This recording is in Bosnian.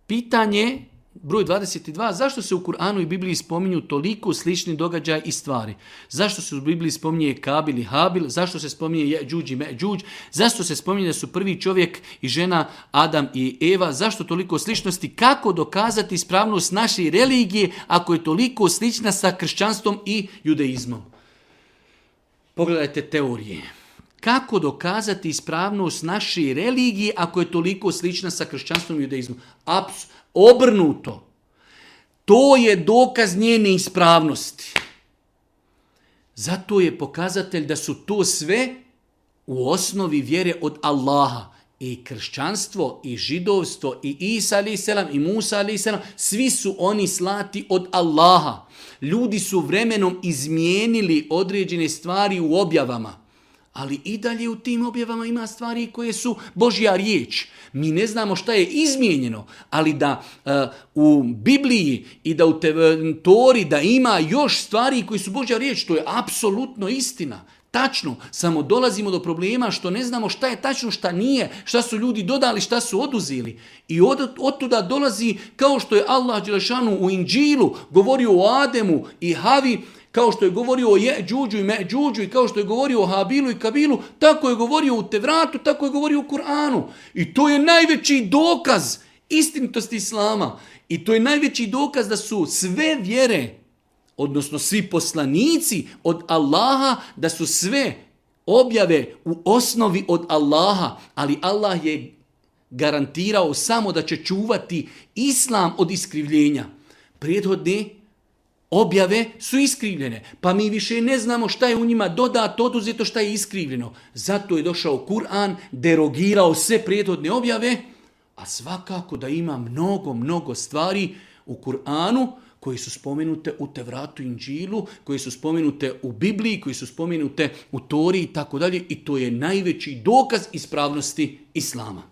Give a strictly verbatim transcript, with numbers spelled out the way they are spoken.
pitanje broj dvadeset dva, zašto se u Kur'anu i Bibliji spominju toliko slični događaji i stvari? Zašto se u Bibliji spominje Kabil i Habil? Zašto se spominje Jeđuđ i Međuđ? Zašto se spominje da su prvi čovjek i žena Adam i Eva? Zašto toliko sličnosti? Kako dokazati ispravnost naše religije ako je toliko slična sa kršćanstvom i judaizmom? Pogledajte teorije. Kako dokazati ispravnost naše religije ako je toliko slična sa kršćanstvom i judaizmom? Apsolutno. Obrnuto. To je dokaz njene ispravnosti. Zato je pokazatelj da su to sve u osnovi vjere od Allaha. I kršćanstvo, i židovstvo, i Isa alaih selam, i Musa alaih selam, svi su oni slati od Allaha. Ljudi su vremenom izmijenili određene stvari u objavama. Ali i dalje u tim objavama ima stvari koje su Božja riječ. Mi ne znamo šta je izmijenjeno, ali da uh, u Bibliji i da u te, Tori da ima još stvari koje su Božja riječ, to je apsolutno istina. Tačno, samo dolazimo do problema što ne znamo šta je tačno, šta nije, šta su ljudi dodali, šta su oduzeli. I od, od tuda dolazi, kao što je Allah dželešanu u Inđilu govorio o Ademu i Havi, kao što je govorio o Jeđuđu i Međuđu i kao što je govorio o Habilu i Kabilu, tako je govorio u Tevratu, tako je govorio u Kur'anu. I to je najveći dokaz istinitosti Islama. I to je najveći dokaz da su sve vjere, odnosno svi poslanici od Allaha, da su sve objave u osnovi od Allaha, ali Allah je garantirao samo da će čuvati Islam od iskrivljenja. Prethodne objave su iskrivljene, pa mi više ne znamo šta je u njima dodato, oduzeto, šta je iskrivljeno. Zato je došao Kur'an, derogirao sve prethodne objave, a svakako da ima mnogo, mnogo stvari u Kur'anu koje su spomenute u Tevratu i Inđilu, koje su spomenute u Bibliji, koje su spomenute u Tori i tako dalje. I to je najveći dokaz ispravnosti Islama.